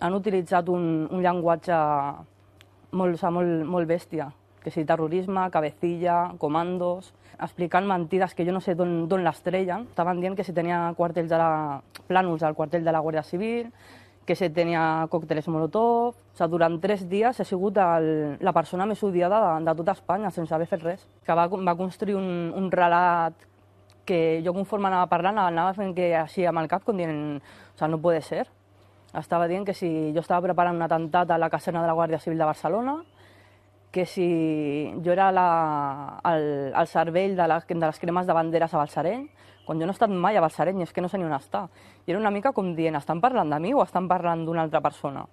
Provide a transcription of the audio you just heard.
Han utilitzat un llenguatge molt bèstia, que si terrorisme, cabecilla, comandos, explicant mentides que jo no sé d'on les treien. Estaven dient que si tenia plànols al quartell de la Guàrdia Civil, que si tenia còctels Molotov. Durant 3 dies he sigut la persona més odiada de tota Espanya, sense haver fet res. Que va construir un relat que jo, conforme anava parlant, anava fent que així amb el cap, com dient, no puede ser. Estava dient que si jo estava preparant un atemptat a la caserna de la Guàrdia Civil de Barcelona, que si jo era el cervell de les cremes de banderes a Balsareny, quan jo no he estat mai a Balsareny, és que no sé ni on està. I era una mica com dient, estan parlant de mi o estan parlant d'una altra persona?